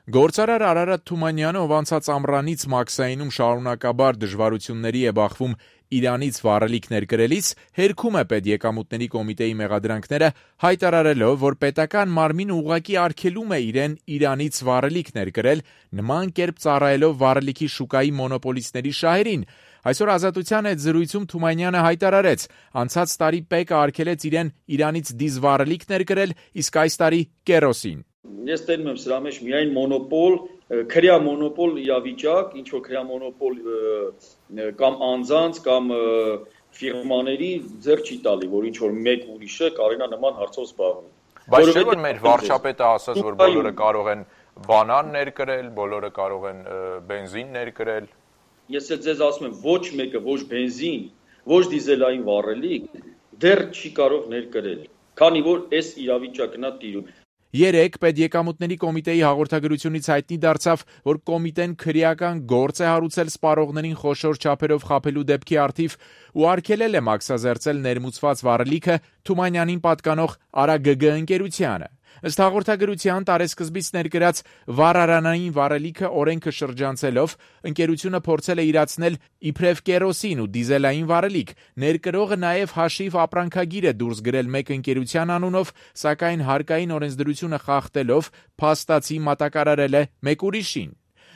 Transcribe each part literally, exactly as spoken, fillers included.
Գործարար Արարատ Թումանյանը, ով անցած ամռանից Մաքսայինում շարունակաբար դժվարությունների է բախվում Իրանից վառելիք ներկրելիս, հերքում է պետեկամուտների կոմիտեի մեղադրանքները, հայտարարելով, որ պետական մարմինը ուղղակի արգելում է իրեն Իրանից վառելիք ներկրել, նման կերպ ծառայելով վառելիքի շուկայի մոնոպոլիստների շահերին։ Այսօր Ազատության հետ զրույցում Թումանյանը հայտարարեց, անցած տարի ՊԵԿ-ը արգելեց իրեն Իրանից դիզվառելիք ներկրել, իսկ այս տարի կերոսին։ Ես տենում եմ սրա մեջ միայն մոնոպոլ, քրյա մոնոպոլ իրավիճակ, ինչ որ քրյա մոնոպոլ կամ անձանց կամ ֆիրմաների ձեռ չի տալի, որ ինչ որ մեկ ուրիշը կարենա նման հարցով զբաղվի։ Բայց չէ՞ որ մեր վարչապետը ասաց, որ բոլորը կարող են բանան ներկրել, բոլորը կարող են բենզին ներկրել։ Ես էլ ձեզ ասում եմ, ոչ մեկը, ոչ բենզին, ոչ դիզելային վառելիք դեռ չի կարող ներկրել, քանի որ այս իրավիճակն է տիրում։ Երեկ պետեկամուտների կոմիտեի հաղորդագրությունից հայտնի դարձավ, որ կոմիտեն քրեական գործ է հարուցել սպառողներին խոշոր չափերով խաբելու դեպքի առթիվ ու արգելել է մաքսազերծել ներմուծված վառելիքը Թումանյանին պատկանող Արա Գ Գ ընկերությանը։ Ըստ հաղորդագրության տարեսկզբից ներկրած վառարանային վառելիքը օրենքը շրջանցելով, ընկերությունը փորձել է իրացնել իբրև կերոսին ու դիզելային վառելիք։ Ներկրողը նաև հաշիվ ապրանքագիր է դուրս գրել մեկ ընկերության անունով, սակայն հարկային օրենսդրությունը խախտելով փաստացի մատակարարել է մեկ ուրիշին։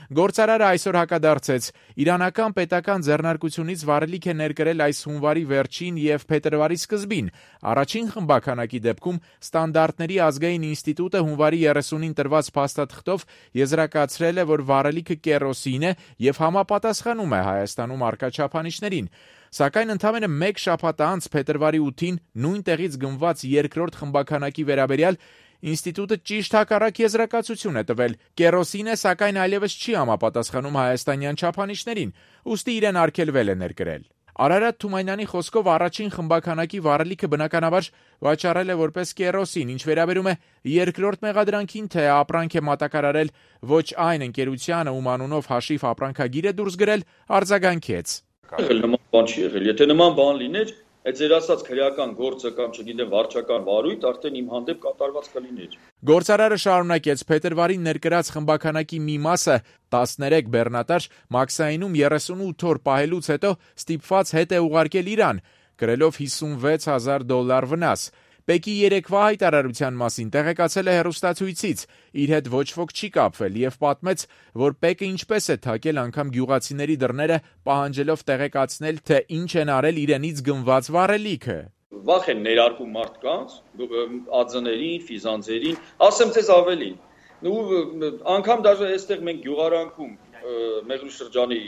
Գործարարը այսօր հակադարձեց. իրանական պետական ձեռնարկությունից վառելիք է ներկրել այս հունվարի վերջին և փետրվարի սկզբին։ Առաջին խմբականակի դեպքում Ստանդարտների ազգային ինստիտուտը հունվարի երեսունին տրված փաստաթղթով եզրակացրել է, որ վառելիքը կերոսին է և համապատասխանում է Հայաստանում առկա չափանիշներին։ Սակայն ընդամենը մեկ շաբաթ անց փետրվարի ութին նույն տեղից գնված երկրորդ խմբականակի վերաբերյալ ինստիտուտը ճիշտ հակառակ եզրակացություն է տվել. կերոսին է, սակայն այլևս չի համապատասխանում հայաստանյան չափանիշներին, ուստի իրեն արգելվել է ներկրել։ Արարատ Թումանյանի խոսքով առաջին խմբականակի վառելիքը բնականաբար վաճառել է որպես կերոսին, ինչ վերաբերում է երկրորդ մեղադրանքին, թե ապրանք է մատակարարել ոչ այն ընկերությանը, ում անունով հաշիվ ապրանքագիր է դուրս գրել, արձագանքեց. Նման բան չի եղել, եթե նման բան լիներ, այդ ձեր ասած քրեական գործը կամ չգիտեմ վարչական վարույթ արդեն իմ հանդեպ կատարված կլիներ։ Գործարարը շարունակեց. փետրվարին ներկրած խմբականակի մի մասը տասներեք բեռնատար Մաքսայինում երեսունութ օր պահելուց հետո ստիպված հետ է ուղարկել Իրան, կրելով հիսունվեց հազար դոլար վնաս։ ՊԵԿ-ի երեկվա հայտարարության մասին տեղեկացել է հեռուստացույցից, իր հետ ոչ ոք չի կապվել և պատմեց, որ ՊԵԿ-ը ինչպես է թակել անգամ գյուղացիների դռները, պահանջելով տեղեկացնել, թե ինչ են արել իրենից գնված վառելիքը։ Վախ են ներարկում մարդկանց, ածներին, ֆիզանձերին, ասեմ ձեզ ավելին, անգամ դաժե այստեղ մենք գյուղարանքում, Մեղրու շրջանի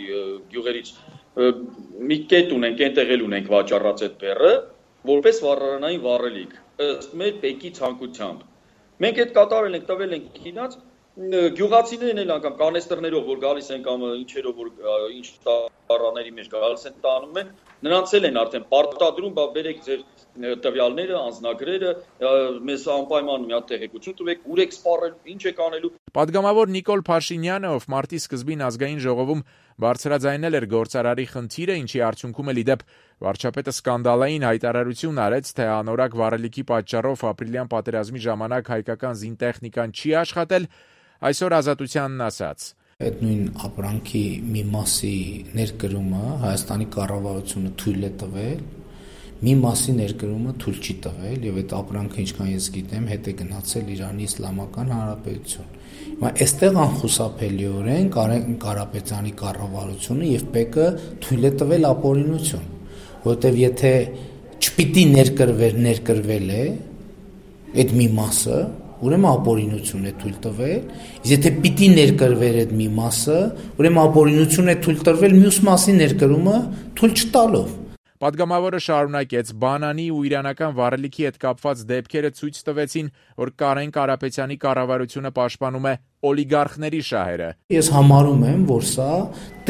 գյուղերից մի կետ ունենք, այնտեղ էլ ունենք վաճառած այդ բեռը, որպես վառարանային վառելիք, ըստ մեր ՊԵԿ-ի ցանկությամբ։ Մենք այդ կատարել ենք, տվել ենք քինած, գյուղացիներն էլ անգամ կանեստերներով, որ գալիս են կամ ինչերով, որ ինչ տարաների մեջ գալիս են տանում են, նրանց էլ են արդեն պարտադրում, բա բերեք ձեր տվյալները, անձնագրերը, մեզ անպայման մի հատ տեղեկություն տվեք, ուր եք սպառել, ինչ եք անելու։ Պատգամավոր Նիկոլ Փաշինյանը, ով մարտի սկզբին ազգային ժողովում բարձրաձայնել էր գործարարի խնդիրը, ինչի արդյունքում էլ ի դեպ վարչապետը սկանդալային հայտարարություն արեց, թե անորակ վառելիքի պատճառով ապրիլյան պատերազմի ժամանակ հայկական զինտեխնիկան չի աշխատել, այսօր Ազատությանն ասաց. Այդ նույն ապրանքի մի մասի ներկրումը Հայաստանի կառավարությունը թույլ է տվել, մի մասի ներկրումը թույլ չի տվել եւ այդ ապրանքը, ինչքան ես գիտեմ, հետ է գնացել Իրանի Իսլամական Հանրապետություն։ Հիմա այստեղ անխուսափելիորեն Կարապետյանի կառավարությունը եւ ՊԵԿ-ը թույլ է տվել ապօրինություն, որովհետեւ եթե չպիտի ներկրվեր, ներկրվել է այդ մի մասը, ուրեմն ապօրինություն է թույլ տվել, իսկ եթե պիտի ներկրվեր այդ մի մասը, ուրեմն ապօրինություն է թույլ տրվել մյուս մասի ներկրումը թույլ չտալով։ Պատգամավորը շարունակեց. բանանի ու իրանական վառելիքի հետ կապված դեպքերը ցույց տվեցին, որ Կարեն Կարապետյանի կառավարությունը պաշտպանում է օլիգարխների շահերը։ Ես համարում եմ, որ սա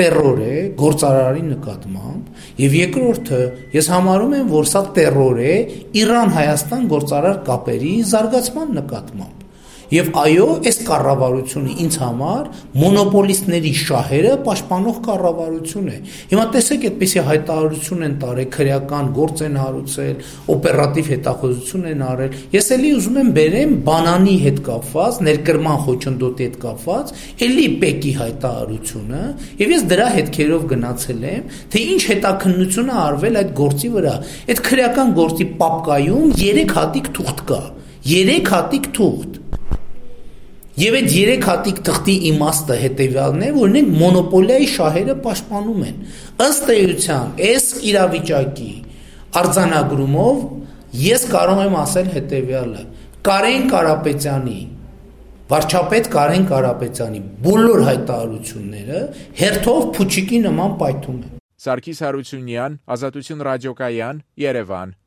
տերոր է գործարարի նկատմամբ, եւ երկրորդը, ես համարում եմ, որ սա տերոր է Իրան-Հայաստան գործարար կապերի զարգացման նկատմամբ։ Եվ այո, այս կառավարությունը ինձ համար մոնոպոլիստների շահերը պաշտպանող կառավարություն է։ Հիմա տեսեք, այդպիսի հայտարարություն են տարել, քրեական գործ են հարուցել, օպերատիվ հետախուզություն են արել։ Ես էլի ուզում եմ բերեմ բանանի հետ կապված, ներկրման խոչընդոտի հետ կապված, էլի ՊԵԿ-ի հայտարարությունը, եւ ես դրա հետքերով գնացել եմ, թե ինչ հետաքննություն է արվել այդ գործի վրա։ Այդ քրեական գործի պապկայում երեք հատիկ թուղթ կա։ երեք հատիկ թուղթ։ Եվ այդ երեք հատիկ թղթի իմաստը հետևյալն է, որ նրանք մոնոպոլիայի շահերը պաշտպանում են։ Ըստ էության, այս իրավիճակի արձանագրումով ես կարող եմ ասել հետևյալը. Կարեն Կարապետյանի, վարչապետ Կարեն Կարապետյանի բոլոր հայտարարությունները հերթով փուչիկի նման պայթում են։ Սարգիս Հարությունյան, Ազատություն ռադիոկայան, Երևան։